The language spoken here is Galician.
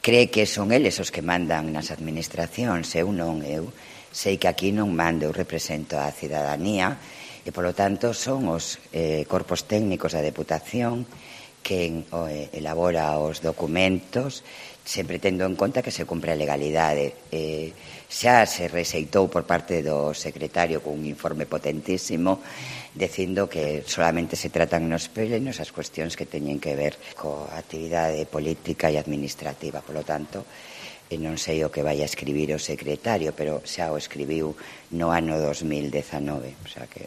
Cree que son eles os que mandan nas administracións, eu non, eu sei que aquí non mando, eu represento a cidadanía e, polo tanto, son os corpos técnicos da Deputación quen elabora os documentos, sempre tendo en conta que se cumpre a legalidade. Xa se rexeitou por parte do secretario cun informe potentísimo dicindo que solamente se tratan nos plenos as cuestións que teñen que ver coa actividade política e administrativa. Por lo tanto, non sei o que vai a escribir o secretario, pero xa o escribiu no ano 2019, o sea que